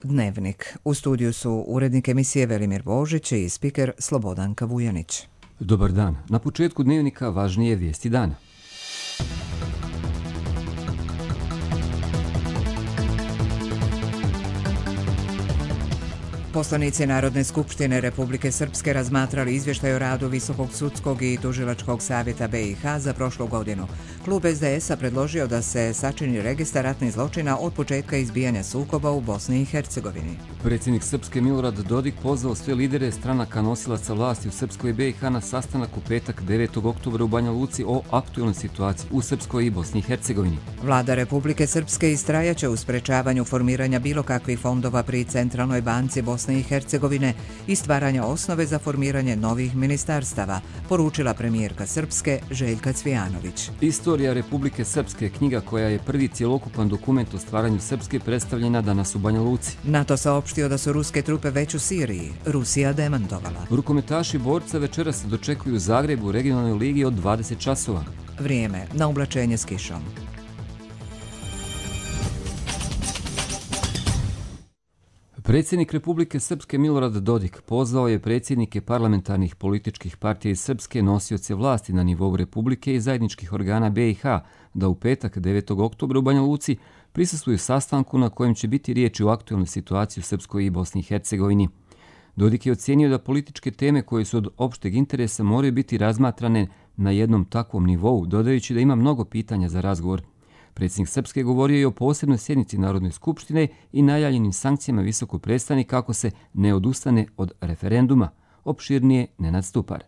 Dnevnik. U studiju su urednik emisije Velimir Božić i spiker Slobodanka Vujanić. Dobar dan. Na početku Dnevnika važnije vijesti dana. Poslanici Narodne skupštine Republike Srpske razmatrali izvještaj o radu Visokog sudskog i tužilačkog savjeta BiH za prošlu godinu. Klub SDS-a predložio da se sačini registar ratnih zločina od početka izbijanja sukoba u Bosni i Hercegovini. Predsjednik Srpske Milorad Dodik pozvao sve lidere stranaka nosilaca vlasti u Srpskoj BiH na sastanak u petak 9. oktobra u Banja Luci o aktualnoj situaciji u Srpskoj i Bosni i Hercegovini. Vlada Republike Srpske istrajaće u sprečavanju formiranja bilo kakvih fondova pri Centralnoj banci Bosne i Hercegovine i stvaranja osnove za formiranje novih ministarstava, poručila premijerka Srpske Željka Cvijanović. Istorija Republike Srpske, knjiga koja je prvi cjelokupan dokument o stvaranju Srpske, predstavljena danas u Banja Luci. NATO saopštio da su ruske trupe već u Siriji, Rusija demantovala. Rukometaši borca večeras se dočekuju u Zagrebu u regionalnoj ligi od 20 časova. Vrijeme na oblačenje s kišom. Predsjednik Republike Srpske Milorad Dodik pozvao je predsjednike parlamentarnih političkih partija iz Srpske, nosioce vlasti na nivou Republike i zajedničkih organa BiH da u petak 9. oktobra u Banja Luci prisustvuju sastanku na kojem će biti riječi o aktualnoj situaciji u Srpskoj i Bosni i Hercegovini. Dodik je ocijenio da političke teme koje su od opšteg interesa moraju biti razmatrane na jednom takvom nivou, dodajući da ima mnogo pitanja za razgovor. Predsjednik Srpske govorio je o posebnoj sjednici Narodne skupštine i najavljenim sankcijama visokog predstavnika ako se ne odustane od referenduma. Opširnije Nenad Stupar.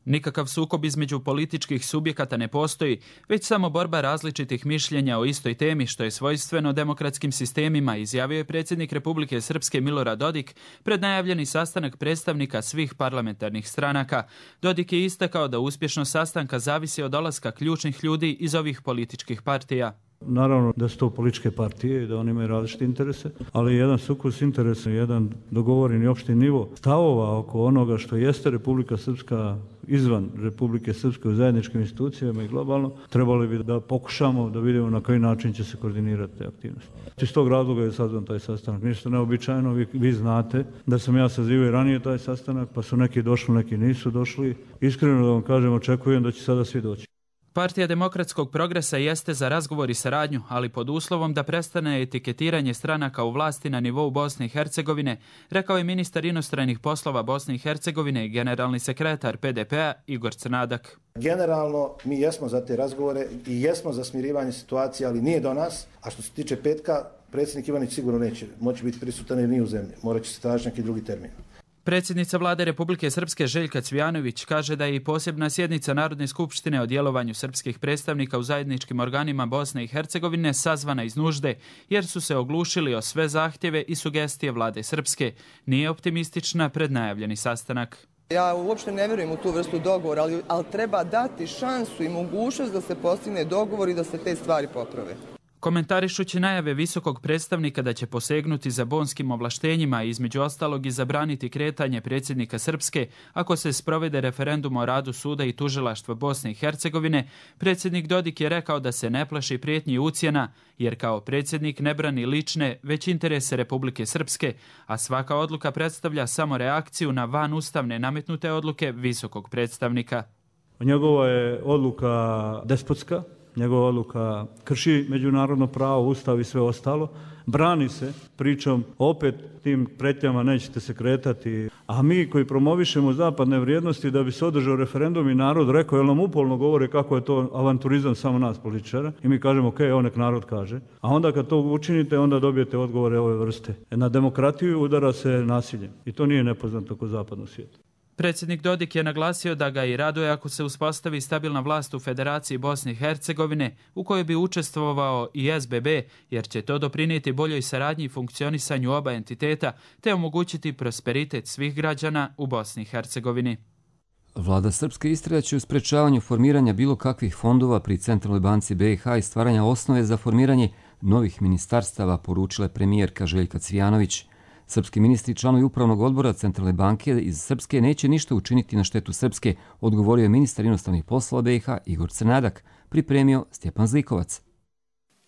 Nikakav sukob između političkih subjekata ne postoji, već samo borba različitih mišljenja o istoj temi, što je svojstveno demokratskim sistemima, izjavio je predsjednik Republike Srpske Milorad Dodik pred najavljeni sastanak predstavnika svih parlamentarnih stranaka. Dodik je istakao da uspješnost sastanka zavisi od dolaska ključnih ljudi iz ovih političkih partija. Naravno da su to političke partije i da oni imaju različite interese, ali jedan sukus interesa, jedan dogovoreni opšti nivo stavova oko onoga što jeste Republika Srpska izvan Republike Srpske u zajedničkim institucijama i globalno, trebali bi da pokušamo da vidimo na koji način će se koordinirati te aktivnosti. Iz tog razloga je sazvan taj sastanak. Ništa neobičajno, vi znate da sam ja sazivao i ranije taj sastanak, pa su neki došli, neki nisu došli. Iskreno da vam kažem, očekujem da će sada svi doći. Partija demokratskog progresa jeste za razgovor i saradnju, ali pod uslovom da prestane etiketiranje stranaka u vlasti na nivou Bosne i Hercegovine, rekao je ministar inostranih poslova Bosne i Hercegovine i generalni sekretar PDP-a Igor Crnadak. Generalno mi jesmo za te razgovore i jesmo za smirivanje situacije, ali nije do nas. A što se tiče petka, predsjednik Ivanić sigurno neće moći biti prisutan jer nije u zemlji. Morat će se tražiti neki drugi termin. Predsjednica Vlade Republike Srpske Željka Cvijanović kaže da je i posebna sjednica Narodne skupštine o djelovanju srpskih predstavnika u zajedničkim organima Bosne i Hercegovine sazvana iz nužde, jer su se oglušili o sve zahtjeve i sugestije Vlade Srpske. Nije optimistična pred najavljeni sastanak. Ja uopšte ne vjerujem u tu vrstu dogovora, ali treba dati šansu i mogućnost da se postigne dogovor i da se te stvari poprave. Komentarišući najave visokog predstavnika da će posegnuti za bonskim ovlaštenjima i između ostalog i zabraniti kretanje predsjednika Srpske ako se sprovede referendum o radu suda i tužilaštva Bosne i Hercegovine, predsjednik Dodik je rekao da se ne plaši prijetnji i ucjena, jer kao predsjednik ne brani lične, već interese Republike Srpske, a svaka odluka predstavlja samo reakciju na vanustavne nametnute odluke visokog predstavnika. Njegova je odluka despotska. Njegova odluka krši međunarodno pravo, ustav i sve ostalo. Brani se pričom opet tim pretnjama nećete se kretati. A mi koji promovišemo zapadne vrijednosti da bi se održao referendum i narod rekao, jer nam upolno govore kako je to avanturizam samo nas političara. I mi kažemo, ok, nek narod kaže. A onda kad to učinite, onda dobijete odgovore ove vrste. Na demokratiju udara se nasiljem. I to nije nepoznato kod zapadnog svijeta. Predsjednik Dodik je naglasio da ga i raduje ako se uspostavi stabilna vlast u Federaciji Bosne i Hercegovine u kojoj bi učestvovao i SBB, jer će to doprinijeti boljoj saradnji i funkcionisanju oba entiteta te omogućiti prosperitet svih građana u Bosni i Hercegovini. Vlada Srpske istrajaće u sprečavanju formiranja bilo kakvih fondova pri Centralnoj banci BiH i stvaranja osnove za formiranje novih ministarstava, poručila je premijerka Željka Cvijanović. Srpski ministri i članovi upravnog odbora Centralne banke iz Srpske neće ništa učiniti na štetu Srpske, odgovorio je ministar inostranih poslova BiH Igor Crnadak, pripremio Stjepan Zlikovac.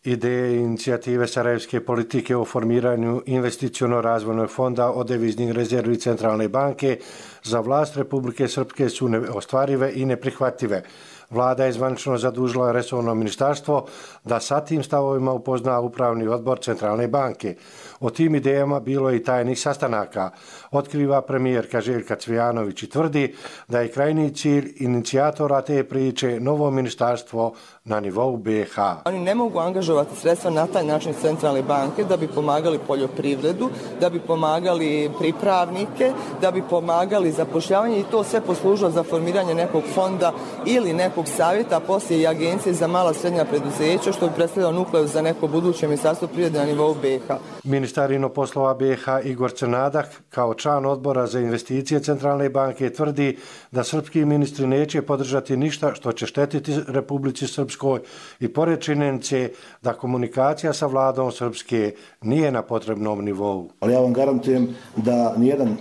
ideje i inicijative sarajevske politike o formiranju investiciono-razvojnog fonda od deviznih rezervi Centralne banke za vlast Republike Srpske su neostvarive i neprihvatljive. Vlada je zvanično zadužila resorno ministarstvo da sa tim stavovima upozna upravni odbor Centralne banke. O tim idejama bilo je i tajnih sastanaka. Otkriva premijerka Željka Cvijanović i tvrdi da je krajnji cilj inicijatora te priče novo ministarstvo na nivou BiH. Oni ne mogu angažovati sredstva na taj način Centralne banke da bi pomagali poljoprivredu, da bi pomagali pripravnike, da bi pomagali zapošljavanje i to sve poslužilo za formiranje nekog fonda ili nekog savjeta, a poslije i agencije za mala srednja preduzeća, što bi predstavljalo nukleus za neko buduće ministarstvo privrede na nivou BiH. Ministar inoposlova BiH Igor Crnadak, kao član odbora za investicije Centralne banke, tvrdi da srpski ministri neće podržati ništa što će štetiti Republici Srpskoj i pored činjenice da komunikacija sa vladom Srpske nije na potrebnom nivou. Ali ja vam garantujem da nijedan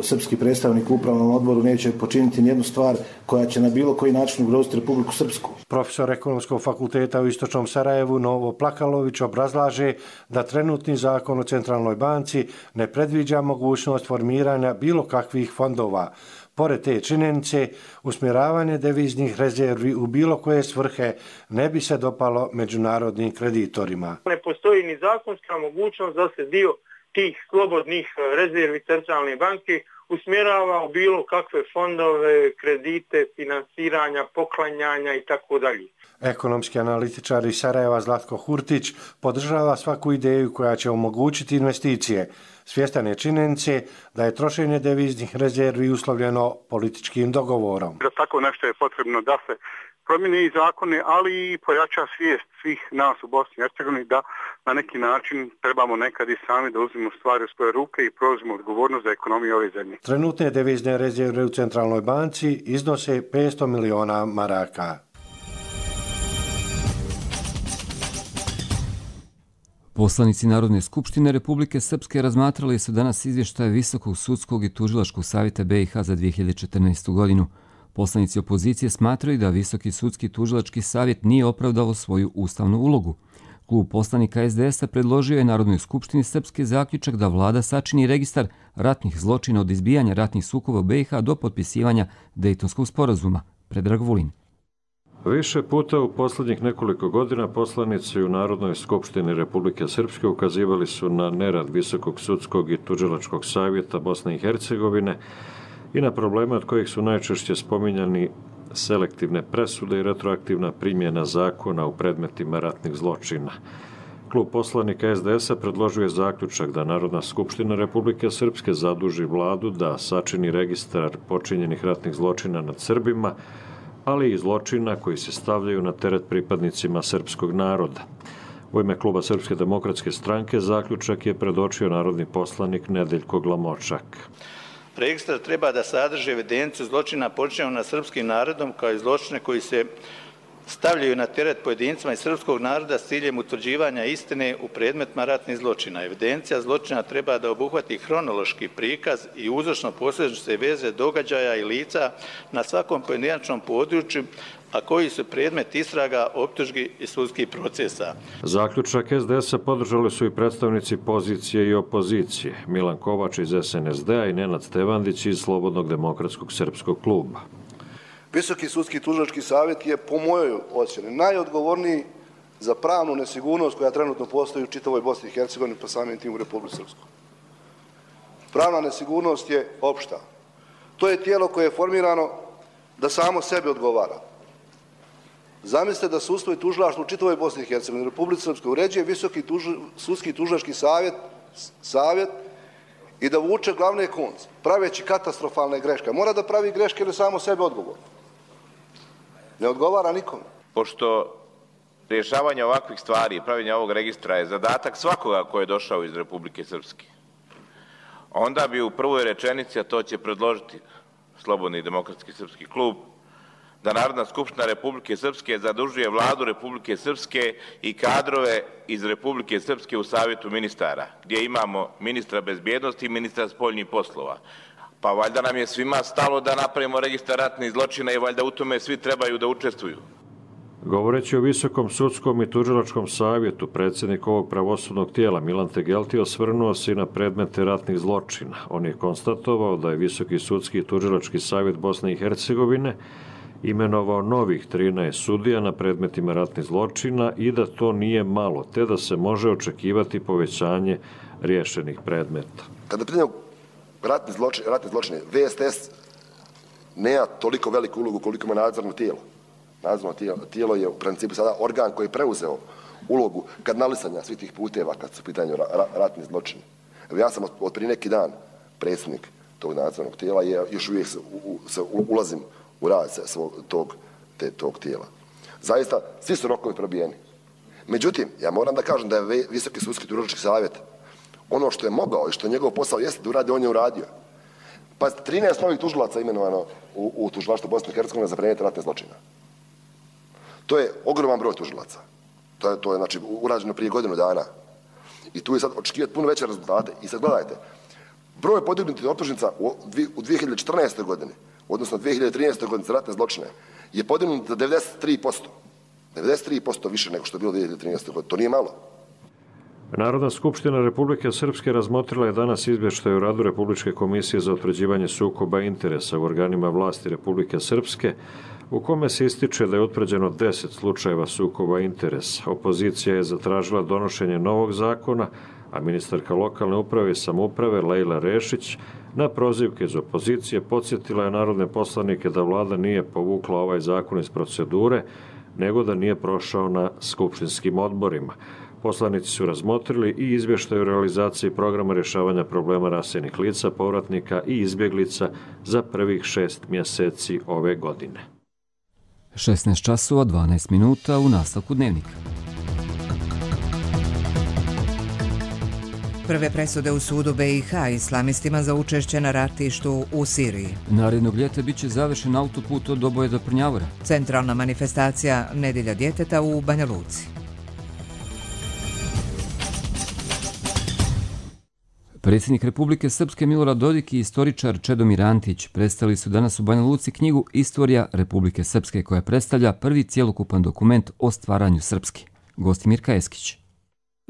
srpski predstavnik u upravnom odboru neće počiniti nijednu stvar koja će na bilo koji način ugroziti Republiku Srpsku. Profesor Ekonomskog fakulteta u Istočnom Sarajevu Novo Plakalović obrazlaže da trenutni zakon o Centralnoj banci ne predviđa mogućnost formiranja bilo kakvih fondova. Pored te činjenice, usmjeravanje deviznih rezervi u bilo koje svrhe ne bi se dopalo međunarodnim kreditorima. Ne postoji ni zakonska mogućnost da se dio tih slobodnih rezervi Centralne banke usmjerava u bilo kakve fondove, kredite, finansiranja, poklanjanja i tako dalje. Ekonomski analitičar iz Sarajeva Zlatko Hurtić podržava svaku ideju koja će omogućiti investicije. Svjestan je činjenice da je trošenje deviznih rezervi uslovljeno političkim dogovorom. Za tako nešto je potrebno da se promijene i zakone, ali i pojača svijest svih nas u Bosni i Hercegovini da na neki način trebamo nekad i sami da uzmemo stvari u svoje ruke i preuzmemo odgovornost za ekonomiju ove zemlje. Trenutne devizne rezerve u Centralnoj banci iznose 500 miliona maraka. Poslanici Narodne skupštine Republike Srpske razmatrali su danas izvještaje Visokog sudskog i tužilačkog savjeta BiH za 2014. godinu. Poslanici opozicije smatraju da Visoki sudski tužilački savjet nije opravdao svoju ustavnu ulogu. Klub poslanika SDS-a predložio je Narodnoj skupštini Srpske zaključak da vlada sačini registar ratnih zločina od izbijanja ratnih sukoba u BiH do potpisivanja Dejtonskog sporazuma. Predrag Vulin. Više puta u posljednjih nekoliko godina poslanici u Narodnoj skupštini Republike Srpske ukazivali su na nerad Visokog sudskog i tužilačkog savjeta Bosne i Hercegovine i na probleme od kojih su najčešće spominjani selektivne presude i retroaktivna primjena zakona u predmetima ratnih zločina. Klub poslanika SDS-a predložio je zaključak da Narodna skupština Republike Srpske zaduži vladu da sačini registar počinjenih ratnih zločina nad Srbima, ali i zločina koji se stavljaju na teret pripadnicima srpskog naroda. U ime Kluba Srpske demokratske stranke zaključak je predočio narodni poslanik Nedeljko Glamočak. Registar treba da sadrži evidenciju zločina počinjenog nad srpskim narodom kao i zločine koji se stavljaju na teret pojedincima iz srpskog naroda s ciljem utvrđivanja istine u predmetima ratnih zločina. Evidencija zločina treba da obuhvati hronološki prikaz i uzročno-posljedične veze događaja i lica na svakom pojedinačnom području, a koji su predmet istraga, optužbi i sudskih procesa. Zaključak SDS-a podržali su i predstavnici pozicije i opozicije, Milan Kovač iz SNSD-a i Nenad Stevandić iz Slobodnog demokratskog srpskog kluba. Visoki sudski tužilački savjet je, po mojoj ocjeni, najodgovorniji za pravnu nesigurnost koja trenutno postoji u čitavoj Bosni i Hercegovini, pa samim tim u Republici Srpskoj. Pravna nesigurnost je opšta. To je tijelo koje je formirano da samo sebi odgovara. Zamislite da sudstvo i tužilaštvo u čitavoj Bosni i Hercegovini, u Republici Srpskoj, uređuje Visoki sudski tužilački savjet i da vuče glavne konce, praveći katastrofalne greške. Mora da pravi greške jer je samo sebe odgovorno. Ne odgovara nikome. Pošto rješavanje ovakvih stvari i pravljenje ovog registra je zadatak svakoga ko je došao iz Republike Srpske, onda bi u prvoj rečenici, a to će predložiti Slobodni demokratski srpski klub, da Narodna skupština Republike Srpske zadužuje vladu Republike Srpske i kadrove iz Republike Srpske u savjetu ministara, gdje imamo ministra bezbjednosti i ministra spoljnih poslova. Pa valjda nam je svima stalo da napravimo registar ratnih zločina i valjda u tome svi trebaju da učestvuju. Govoreći o Visokom sudskom i tužilačkom savjetu, predsjednik ovog pravosudnog tijela Milan Tegelti osvrnuo se i na predmete ratnih zločina. On je konstatovao da je Visoki sudski i tužilački savjet Bosne i Hercegovine imenovao novih 13 sudija na predmetima ratnih zločina i da to nije malo, te da se može očekivati povećanje riješenih predmeta. Kada pitanje ratni zločini, VSTS nema toliko veliku ulogu koliko ima nadzorno tijelo. Nadzorno tijelo je u principu sada organ koji je preuzeo ulogu kadnalisanja svih tih puteva kad su u pitanju ratni zločini. Evo ja sam od prije neki dan predsjednik tog nadzornog tijela i još uvijek ulazim u rad tog tijela. Zaista, svi su rokovi probijeni. Međutim, ja moram da kažem da je Visoki sudski tužilački savjet ono što je mogao i što je njegov posao jeste da uradi, on je uradio. Pa 13 novih tužilaca imenovano u tužilaštvu Bosne i Hercegovine za predmete ratne zločina. To je ogroman broj tužilaca. To je znači urađeno prije godinu dana. I tu je sad očekivati puno veće rezultate. I sad gledajte, broj podignutih optužnica u 2014. godini, odnosno 2013. godini za ratne zločine, je podignut za 93%. 93% više nego što je bilo 2013. godine. To nije malo. Narodna skupština Republike Srpske razmotrila je danas izvještaj o radu Republičke komisije za utvrđivanje sukoba interesa u organima vlasti Republike Srpske, u kome se ističe da je utvrđeno 10 slučajeva sukoba interesa. Opozicija je zatražila donošenje novog zakona, a ministarka lokalne uprave i samouprave Lejla Rešić na prozivke iz opozicije podsjetila je narodne poslanike da vlada nije povukla ovaj zakon iz procedure, nego da nije prošao na skupštinskim odborima. Poslanici su razmotrili i izvještaj o realizaciji programa rješavanja problema raseljenih lica, povratnika i izbjeglica za prvih 6 mjeseci ove godine. 16 časova 12 minuta u nastavku dnevnika. Prve presude u sudu BiH islamistima za učešće na ratištu u Siriji. Narednog ljeta biće završen autoput od Doboje do Prnjavora. Centralna manifestacija Nedjelja djeteta u Banja Luci. Predsjednik Republike Srpske Milorad Dodik i istoričar Čedomir Antić predstavili su danas u Banja Luci knjigu Istorija Republike Srpske, koja predstavlja prvi cjelokupan dokument o stvaranju Srpske. Gost Mirka Eskić.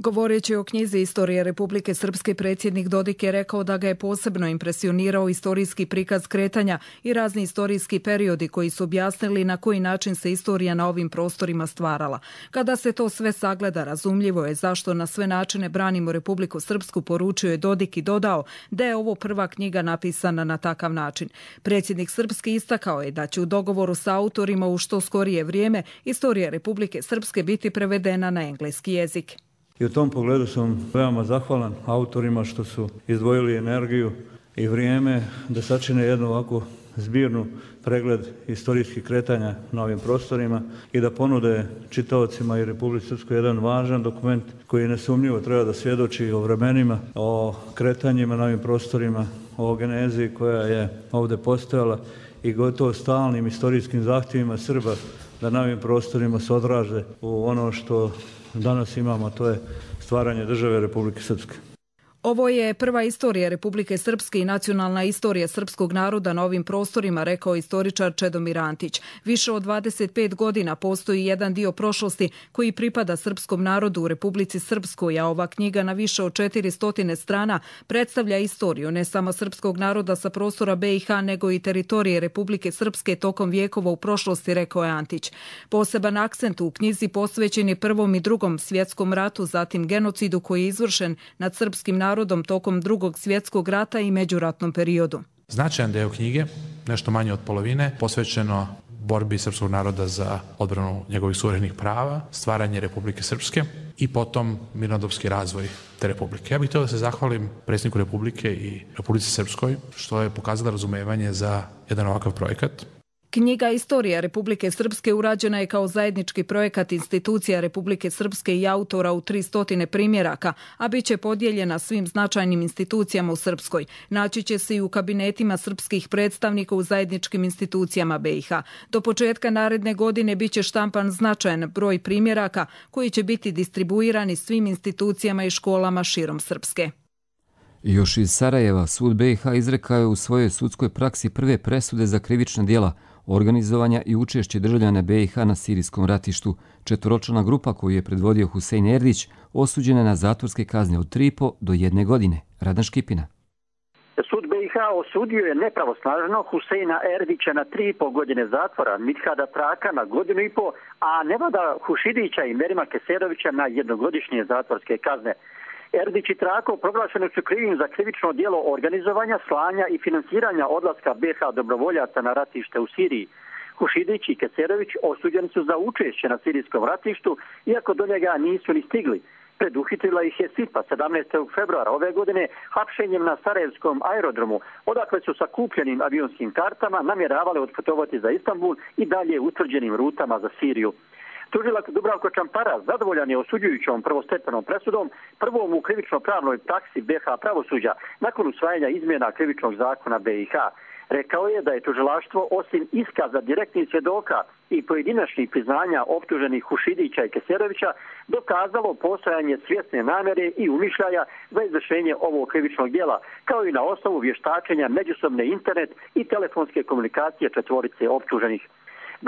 Govoreći o knjizi Istorije Republike Srpske, predsjednik Dodik je rekao da ga je posebno impresionirao istorijski prikaz kretanja i razni istorijski periodi koji su objasnili na koji način se istorija na ovim prostorima stvarala. Kada se to sve sagleda, razumljivo je zašto na sve načine branimo Republiku Srpsku, poručio je Dodik i dodao da je ovo prva knjiga napisana na takav način. Predsjednik Srpske istakao je da će u dogovoru sa autorima u što skorije vrijeme Istorija Republike Srpske biti prevedena na engleski jezik. I u tom pogledu sam veoma zahvalan autorima što su izdvojili energiju i vrijeme da sačine jednu ovako zbirnu pregled istorijskih kretanja na ovim prostorima i da ponude čitaocima i Republici Srpskoj jedan važan dokument koji nesumnjivo treba da svjedoči o vremenima, o kretanjima na ovim prostorima, o genezi koja je ovdje postojala i gotovo stalnim istorijskim zahtjevima Srba da na ovim prostorima se odraže u ono što danas imamo, a to je stvaranje države Republike Srpske. Ovo je prva istorija Republike Srpske i nacionalna istorija srpskog naroda na ovim prostorima, rekao istoričar Čedomir Antić. Više od 25 godina postoji jedan dio prošlosti koji pripada srpskom narodu u Republici Srpskoj, a ova knjiga na više od 400 strana predstavlja istoriju ne samo srpskog naroda sa prostora BiH, nego i teritorije Republike Srpske tokom vijekova u prošlosti, rekao je Antić. Poseban akcent u knjizi posvećen je Prvom i Drugom svjetskom ratu, zatim genocidu koji je izvršen nad srpskim narodom tokom Drugog svjetskog rata i međuratnom periodu. Značajan deo knjige, nešto manje od polovine, posvećeno borbi srpskog naroda za odbranu njegovih suverenih prava, stvaranje Republike Srpske i potom mirnodopski razvoj te republike. Ja bih htio da se zahvalim predsjedniku Republike i Republici Srpskoj što je pokazala razumevanje za jedan ovakav projekat. Knjiga Istorija Republike Srpske urađena je kao zajednički projekat institucija Republike Srpske i autora u 300 primjeraka, a bit će podijeljena svim značajnim institucijama u Srpskoj. Naći će se i u kabinetima srpskih predstavnika u zajedničkim institucijama BiH. Do početka naredne godine bit će štampan značajan broj primjeraka koji će biti distribuirani svim institucijama i školama širom Srpske. Još iz Sarajeva, sud BiH izrekao je u svojoj sudskoj praksi prve presude za krivična djela organizovanja i učešće državljana BiH na sirijskom ratištu. Četvoročlana grupa koju je predvodio Husein Erdić osuđena na zatvorske kazne od 3,5 do 1 godine. Radan Škipina. Sud BiH osudio je nepravosnažno Huseina Erdića na 3,5 godine zatvora, Mithada Traka na 1,5 godinu, a Nevada Hušidića i Merima Keserovića na 1-godišnje zatvorske kazne. Erdić i Trako proglašeni su krivim za krivično djelo organizovanja, slanja i finansiranja odlaska BiH dobrovoljaca na ratište u Siriji. Hušidić i Keserović osuđeni su za učešće na sirijskom ratištu, iako do njega nisu ni stigli. Preduhitrila ih je SIPA 17. februara ove godine hapšenjem na Sarajevskom aerodromu, odakle su sa kupljenim avionskim kartama namjeravali otputovati za Istanbul i dalje utvrđenim rutama za Siriju. Tužilac Dubravko Čampara zadovoljan je osuđujućom prvostepenom presudom, prvom u krivično-pravnoj praksi BiH pravosuđa nakon usvajanja izmjena krivičnog zakona BiH. Rekao je da je tužilaštvo osim iskaza direktnih svjedoka i pojedinačnih priznanja optuženih Hušidića i Keserovića dokazalo postojanje svjesne namjere i umišljaja za izvršenje ovog krivičnog djela, kao i na osnovu vještačenja međusobne internet i telefonske komunikacije četvorice optuženih.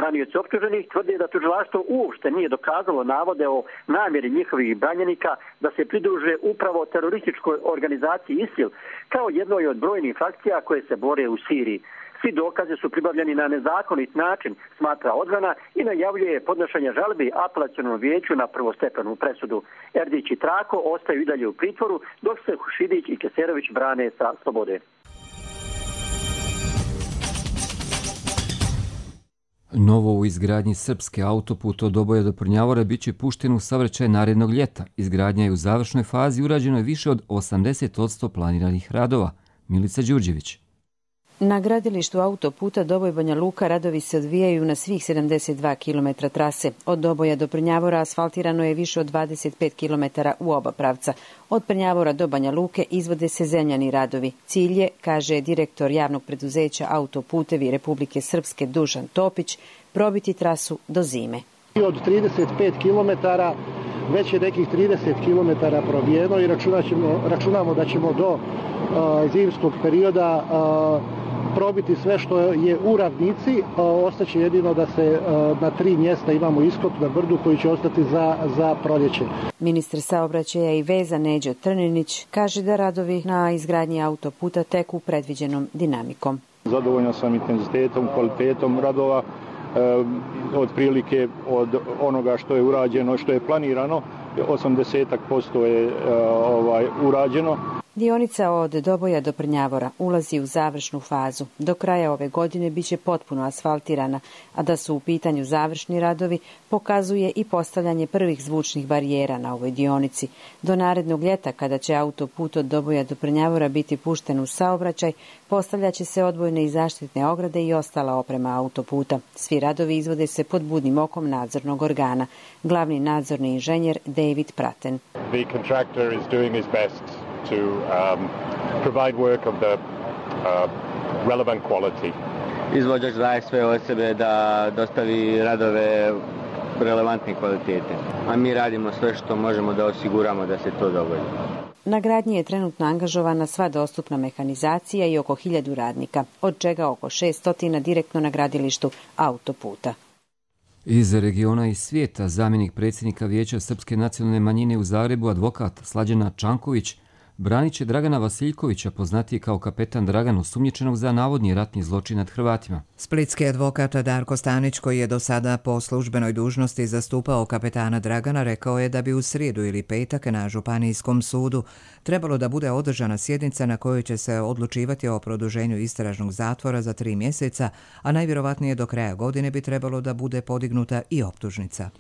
Branioci optuženih tvrde da tužilaštvo uopšte nije dokazalo navode o namjeri njihovih branjenika da se pridruže upravo terorističkoj organizaciji ISIL kao jednoj od brojnih frakcija koje se bore u Siriji. Svi dokazi su pribavljeni na nezakonit način, smatra odbrana i najavljuje podnošenje žalbi apelacionom vijeću na prvostepenu presudu. Erdić i Trako ostaju i dalje u pritvoru, dok se Hušidić i Keserović brane sa slobode. Novo u izgradnji srpske autoput od Doboja do Prnjavora bit će pušten u saobraćaj narednog ljeta. Izgradnja je u završnoj fazi, urađeno je više od 80% planiranih radova. Milica Đurđević. Na gradilištu autoputa Doboj-Banja Luka radovi se odvijaju na svih 72 km trase. Od Doboja do Prnjavora asfaltirano je više od 25 km u oba pravca. Od Prnjavora do Banja Luke izvode se zemljani radovi. Cilj je, kaže direktor javnog preduzeća Autoputevi Republike Srpske Dušan Topić, probiti trasu do zime. Od 35 km već je nekih 30 km probijeno i računamo da ćemo do zimskog perioda probiti sve što je u ravnici. Ostaće jedino da se na 3 mjesta imamo iskop na brdu koji će ostati za proljeće. Ministar saobraćaja i veza Neđo Trninić kaže da radovi na izgradnji autoputa teku predviđenom dinamikom. Zadovoljan sam intenzitetom, kvalitetom radova, otprilike od onoga što je urađeno, što je planirano, 80% je urađeno. Dionica od Doboja do Prnjavora ulazi u završnu fazu. Do kraja ove godine biće potpuno asfaltirana, a da su u pitanju završni radovi pokazuje i postavljanje prvih zvučnih barijera na ovoj dionici. Do narednog ljeta, kada će autoput od Doboja do Prnjavora biti pušten u saobraćaj, postavljaće se odvojne i zaštitne ograde i ostala oprema autoputa. Svi radovi izvode se pod budnim okom nadzornog organa. Glavni nadzorni inženjer David Praten. The contractor is doing his best to provide work of the relevant quality. Izvođač daje sve od sebe da dostavi radove relevantne kvalitete, a mi radimo sve što možemo da osiguramo da se to dogodi. Na gradnji je trenutno angažovana sva dostupna mehanizacija i oko 1000 radnika, od čega oko 600 direktno na gradilištu autoputa. Iz regiona i svijeta zamjenik predsjednika Vijeća Srpske nacionalne manjine u Zagrebu, advokat Slađana Čanković, branit će Dragana Vasiljkovića, poznatiji kao kapetan Dragan, osumnjičenog za navodni ratni zločin nad Hrvatima. Splitski advokat Darko Stanić, koji je do sada po službenoj dužnosti zastupao kapetana Dragana, rekao je da bi u srijedu ili petak na Županijskom sudu trebalo da bude održana sjednica na kojoj će se odlučivati o produženju istražnog zatvora za 3 mjeseca, a najvjerovatnije do kraja godine bi trebalo da bude podignuta i optužnica.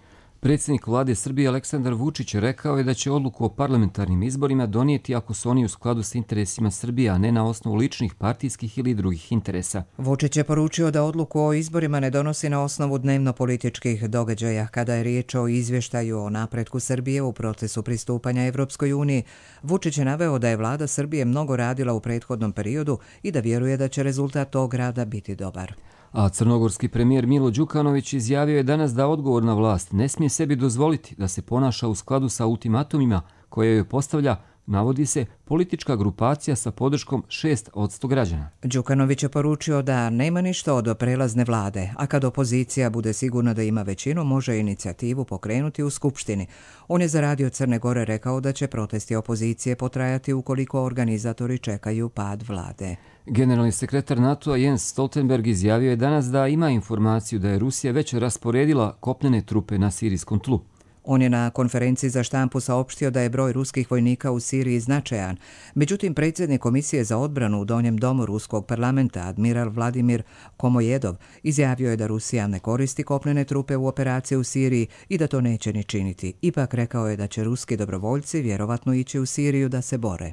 Predsjednik vlade Srbije Aleksandar Vučić rekao je da će odluku o parlamentarnim izborima donijeti ako su oni u skladu s interesima Srbije, a ne na osnovu ličnih, partijskih ili drugih interesa. Vučić je poručio da odluku o izborima ne donosi na osnovu dnevno-političkih događaja. Kada je riječ o izvještaju o napretku Srbije u procesu pristupanja Evropskoj uniji, Vučić je naveo da je vlada Srbije mnogo radila u prethodnom periodu i da vjeruje da će rezultat tog rada biti dobar. A crnogorski premijer Milo Đukanović izjavio je danas da odgovorna vlast ne smije sebi dozvoliti da se ponaša u skladu sa ultimatumima koje joj postavlja navodi se politička grupacija sa podrškom 6% građana. Đukanović je poručio da nema ništa od prelazne vlade, a kad opozicija bude sigurna da ima većinu, može inicijativu pokrenuti u Skupštini. On je za Radio Crne Gore rekao da će protesti opozicije potrajati ukoliko organizatori čekaju pad vlade. Generalni sekretar NATO-a Jens Stoltenberg izjavio je danas da ima informaciju da je Rusija već rasporedila kopnene trupe na sirijskom tlu. On je na konferenciji za štampu saopštio da je broj ruskih vojnika u Siriji značajan. Međutim, predsjednik Komisije za odbranu u Donjem domu Ruskog parlamenta, admiral Vladimir Komojedov, izjavio je da Rusija ne koristi kopnene trupe u operaciji u Siriji i da to neće ni činiti. Ipak rekao je da će ruski dobrovoljci vjerovatno ići u Siriju da se bore.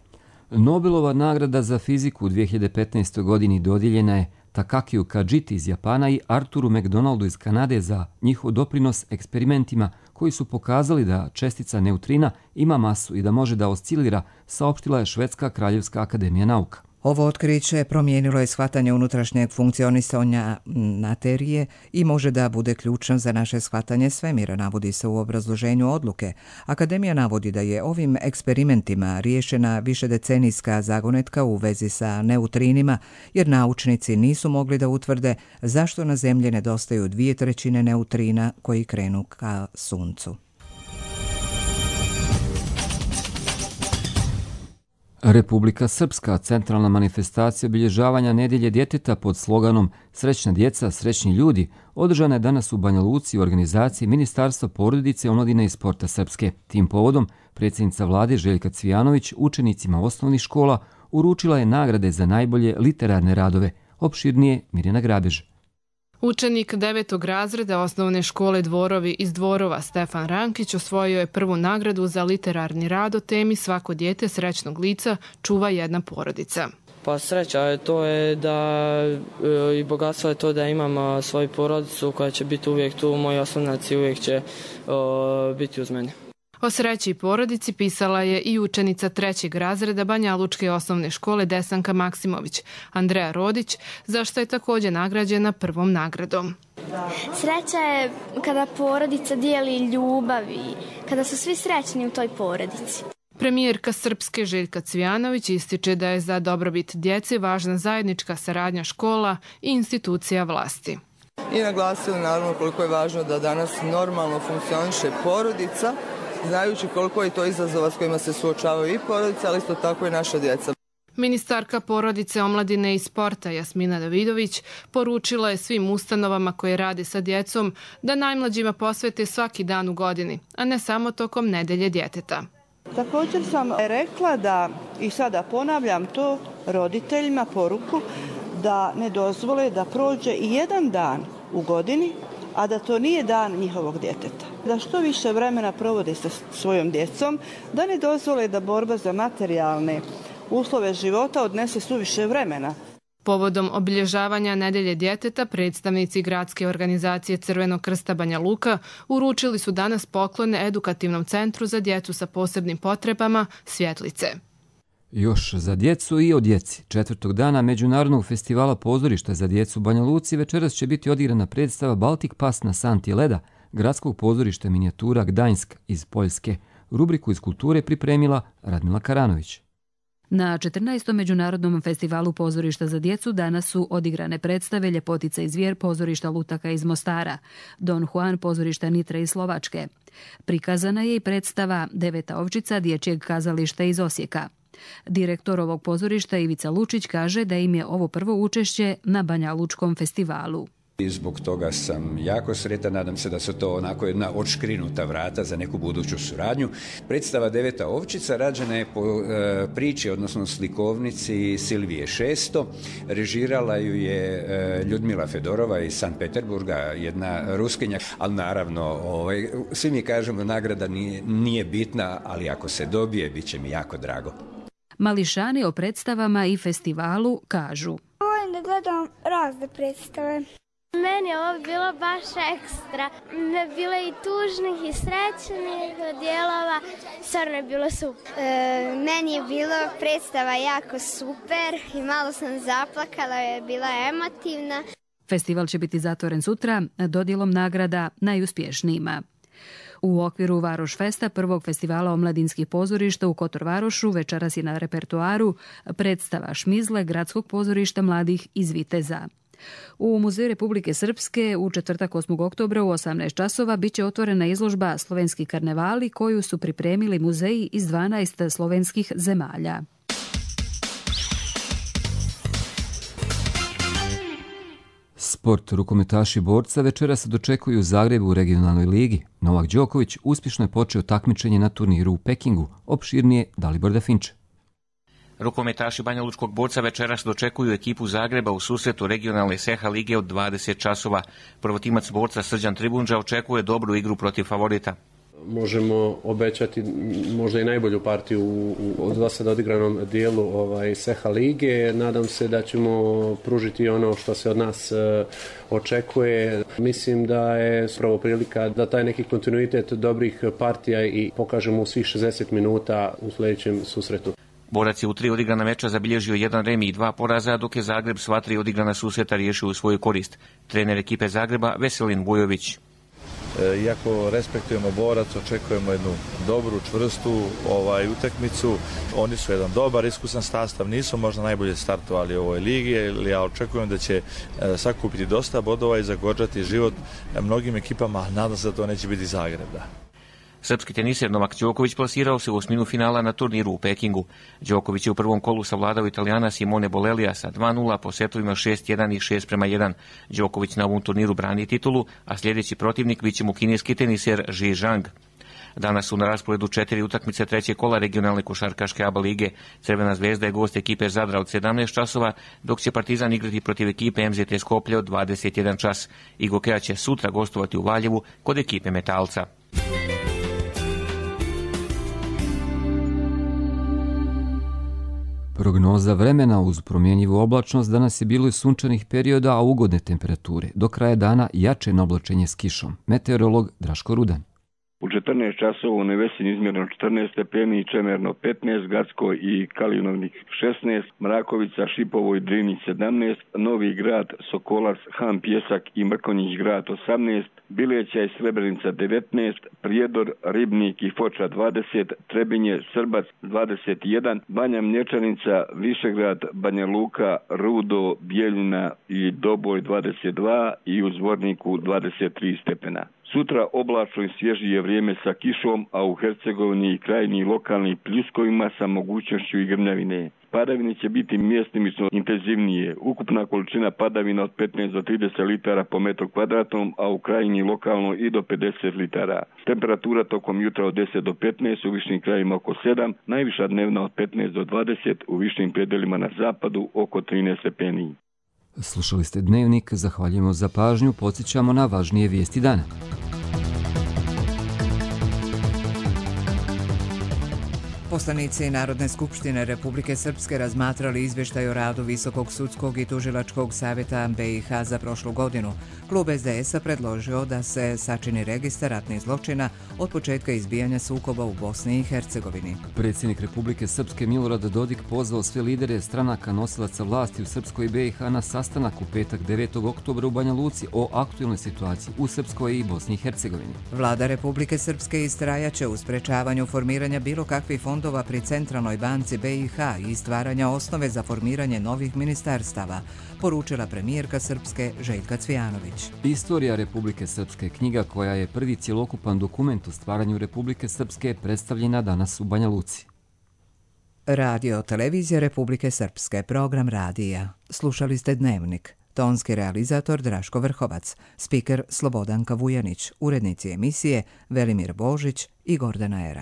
Nobelova nagrada za fiziku u 2015. godini dodijeljena je Takakiju Kajiti iz Japana i Arturu McDonaldu iz Kanade za njihov doprinos eksperimentima koji su pokazali da čestica neutrina ima masu i da može da oscilira, saopštila je Švedska kraljevska akademija nauka. Ovo otkriće promijenilo je shvatanje unutrašnjeg funkcionisanja materije i može da bude ključno za naše shvatanje svemira, navodi se u obrazloženju odluke. Akademija navodi da je ovim eksperimentima riješena višedecenijska zagonetka u vezi sa neutrinima, jer naučnici nisu mogli da utvrde zašto na Zemlji nedostaju 2/3 neutrina koji krenu ka Suncu. Republika Srpska, centralna manifestacija obilježavanja Nedelje djeteta pod sloganom Srećna djeca, srećni ljudi, održana je danas u Banja Luci u organizaciji Ministarstva porodice, omladine i sporta Srpske. Tim povodom predsjednica vlade Željka Cvijanović učenicima osnovnih škola uručila je nagrade za najbolje literarne radove. Opširnije Mirjana Grabež. Učenik 9. razreda osnovne škole Dvorovi iz Dvorova Stefan Rankić osvojio je prvu nagradu za literarni rad o temi Svako dijete srećnog lica čuva jedna porodica. Pa sreća to je da i bogatstvo je to da imam svoju porodicu koja će biti uvijek tu, moji osnovnaci uvijek će biti uz mene. O sreći i porodici pisala je i učenica 3. razreda Banjalučke osnovne škole Desanka Maksimović, Andreja Rodić, za što je također nagrađena prvom nagradom. Sreća je kada porodica dijeli ljubavi, kada su svi srećni u toj porodici. Premijerka Srpske Željka Cvijanović ističe da je za dobrobit djece važna zajednička saradnja škola i institucija vlasti. I naglasili naravno koliko je važno da danas normalno funkcioniše porodica, znajući koliko je to izazova s kojima se suočavaju i porodice, ali isto tako i naša djeca. Ministarka porodice, omladine i sporta Jasmina Davidović poručila je svim ustanovama koje rade sa djecom da najmlađima posvete svaki dan u godini, a ne samo tokom Nedelje djeteta. Također sam rekla da, i sada ponavljam to roditeljima poruku, da ne dozvole da prođe i jedan dan u godini, a da to nije dan njihovog djeteta. Da što više vremena provode sa svojom djecom, da ne dozvole da borba za materijalne uslove života odnese suviše vremena. Povodom obilježavanja Nedelje djeteta, predstavnici gradske organizacije Crvenog krsta Banja Luka uručili su danas poklone Edukativnom centru za djecu sa posebnim potrebama Svjetlice. Još za djecu i o djeci. 4. dana Međunarodnog festivala pozorišta za djecu u Banja Luci večeras će biti odigrana predstava Baltic Pass na santi leda gradskog pozorišta minijatura Gdańsk iz Poljske. Rubriku iz kulture pripremila Radmila Karanović. Na 14. Međunarodnom festivalu pozorišta za djecu danas su odigrane predstave Ljepotica i zvijer pozorišta Lutaka iz Mostara, Don Juan pozorišta Nitre iz Slovačke. Prikazana je i predstava Deveta ovčica dječjeg kazališta iz Osijeka. Direktor ovog pozorišta Ivica Lučić kaže da im je ovo prvo učešće na Banjalučkom festivalu. I zbog toga sam jako sretan, nadam se da su to onako jedna odškrinuta vrata za neku buduću suradnju. Predstava Deveta ovčica rađena je po priči, odnosno slikovnici Silvije Šesto. Režirala ju je Ljudmila Fedorova iz Sankt Peterburga, jedna Ruskinja, ali naravno svi mi kažemo nagrada nije bitna, ali ako se dobije, bit će mi jako drago. Mališani o predstavama i festivalu kažu: Volim da gledam razne predstave. Meni je ovo bilo baš ekstra. Bilo je i tužnih i srećnih dijelova. Stvarno je bilo super. Meni je bilo predstava jako super i malo sam zaplakala, je bila emotivna. Festival će biti zatvoren sutra dodjelom nagrada najuspješnijima. U okviru Varoš Festa, prvog festivala omladinskih pozorišta u Kotor Varošu, večeras je na repertoaru predstava Šmizle Gradskog pozorišta mladih iz Viteza. U Muzeju Republike Srpske u četvrtak 8. oktobra u 18 časova biće otvorena izložba Slovenski karnevali koju su pripremili muzeji iz 12 slovenskih zemalja. Sport, rukometaši borca večeras se dočekuju u Zagrebu u regionalnoj ligi. Novak Đoković uspješno je počeo takmičenje na turniru u Pekingu. Opširnije Dalibor Dafinče. Rukometaši banjalučkog borca večeras dočekuju ekipu Zagreba u susretu regionalne SEHA lige od 20 časova. Prvotimac borca Srđan Tribundža očekuje dobru igru protiv favorita. Možemo obećati možda i najbolju partiju u do sada odigranom dijelu SEHA lige. Nadam se da ćemo pružiti ono što se od nas očekuje. Mislim da je pravo prilika da taj neki kontinuitet dobrih partija i pokažemo u svih 60 minuta u sljedećem susretu. Borac je u 3 odigrana meča zabilježio 1 remi i 2 poraza, dok je Zagreb sva 3 odigrana susreta riješio u svoju korist. Trener ekipe Zagreba Veselin Vujović. Iako respektujemo Borac, očekujemo jednu dobru, čvrstu utakmicu. Oni su jedan dobar, iskusan sastav, nisu možda najbolje startovali u ovoj ligi, ali ja očekujem da će sakupiti dosta bodova i zagorčati život mnogim ekipama, nadam se da to neće biti Zagreb. Da. Srpski teniser Novak Đoković plasirao se u osminu finala na turniru u Pekingu. Đoković je u prvom kolu savladao Italijana Simone Bolelija sa 2-0 po setovima 6-1 i 6-1. Đoković na ovom turniru brani titulu, a sljedeći protivnik biće mu kineski teniser Ji Zhang. Danas su na rasporedu 4 utakmice trećeg kola regionalne košarkaške ABA lige. Crvena zvezda je gost ekipe Zadra od 17 časova, dok će Partizan igrati protiv ekipe MZT Skoplje od 21 čas. Igokea će sutra gostovati u Valjevu kod ekipe Metalca. Prognoza vremena uz promjenjivu oblačnost danas je bilo i sunčanih perioda, a ugodne temperature. Do kraja dana jače oblačenje s kišom. Meteorolog Draško Rudan. U 14 časova u Nevesinju izmjereno 14 stepeni, Čemerno 15, Gacko i Kalinovnik 16, Mrakovica, Šipovo i Drinić 17, Novi Grad, Sokolac, Han, Pjesak i Mrkonjić Grad 18, Bileća i Srebrenica 19, Prijedor, Ribnik i Foča 20, Trebinje, Srbac 21, Banja Mlječanica, Višegrad, Banja Luka, Rudo, Bijeljina i Doboj 22 i u Zvorniku 23 stepena. Sutra oblačno i svježije vrijeme sa kišom, a u Hercegovini i krajini lokalnih pljuskovima sa mogućnošću i grmljavine. Padavine će biti mjestimično intenzivnije. Ukupna količina padavina od 15 do 30 litara po metru kvadratnom, a u krajini lokalno i do 50 litara. Temperatura tokom jutra od 10 do 15, u višnim krajima oko 7, najviša dnevna od 15 do 20, u višnim predelima na zapadu oko 13 stepeni. Slušali ste Dnevnik, zahvaljujemo za pažnju, podsjećamo na važnije vijesti dana. Poslanici Narodne skupštine Republike Srpske razmatrali izvještaj o radu Visokog sudskog i tužilačkog savjeta BiH za prošlu godinu. Klub SDS-a predložio da se sačini registar ratnih zločina od početka izbijanja sukoba u Bosni i Hercegovini. Predsjednik Republike Srpske Milorad Dodik pozvao sve lidere stranaka nosilaca vlasti u Srpskoj i BiH na sastanak u petak 9. oktobra u Banja Luci o aktualnoj situaciji u Srpskoj i Bosni i Hercegovini. Vlada Republike Srpske istrajaće u sprečavanju formiranja bilo kakvih fondova pri Centralnoj banci BiH i stvaranja osnove za formiranje novih ministarstava, poručila premijerka Srpske Željka Cvijanović. Istorija Republike Srpske, knjiga koja je prvi cjelokupan dokument o stvaranju Republike Srpske, predstavljena danas u Banja Luci. Radio Televizija Republike Srpske, program radija. Slušali ste Dnevnik. Tonski realizator Draško Vrhovac, spiker Slobodanka Vujanić, urednici emisije Velimir Božić i Gordana Era.